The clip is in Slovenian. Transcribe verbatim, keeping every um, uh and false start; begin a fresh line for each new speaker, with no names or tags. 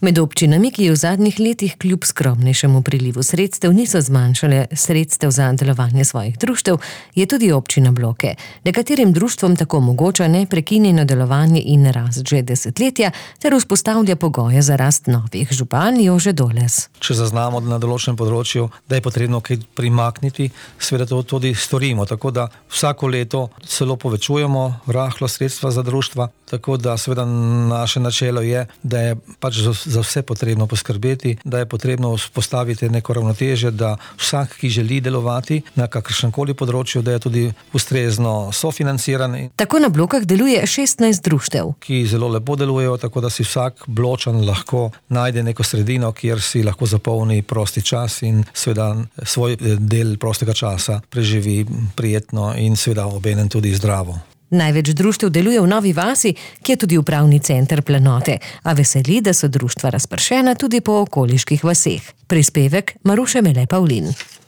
Med občinami, ki v zadnjih letih kljub skromnejšemu prilivu sredstev niso zmanjšale sredstev za delovanje svojih društev, je tudi občina Bloke. Nekaterim društvom tako omogoča neprekinjeno delovanje in rast že desetletja ter vzpostavlja pogoje za rast novih. Župan Jože Doles.
Če zaznamo na določenem področju, da je potrebno kaj primakniti, seveda to tudi storimo. Tako da vsako leto celo povečujemo rahlo sredstva za društva, tako da seveda naše načelo je, da je pač za vse potrebno poskrbeti, da je potrebno vzpostaviti neko ravnotežje, da vsak, ki želi delovati na kakršnemkoli področju, da je tudi ustrezno sofinanciran.
Tako na Blokah deluje šestnajst društev,
ki zelo lepo delujejo, tako da si vsak Bločan lahko najde neko sredino, kjer si lahko zapolni prosti čas in seveda svoj del prostega časa preživi prijetno in seveda obenem tudi zdravo.
Največ društev deluje v Novi vasi, ki je tudi upravni center Planote, a veseli, da so društva razpršena tudi po okoliških vaseh. Prispevek Maruše Mele Pavlin.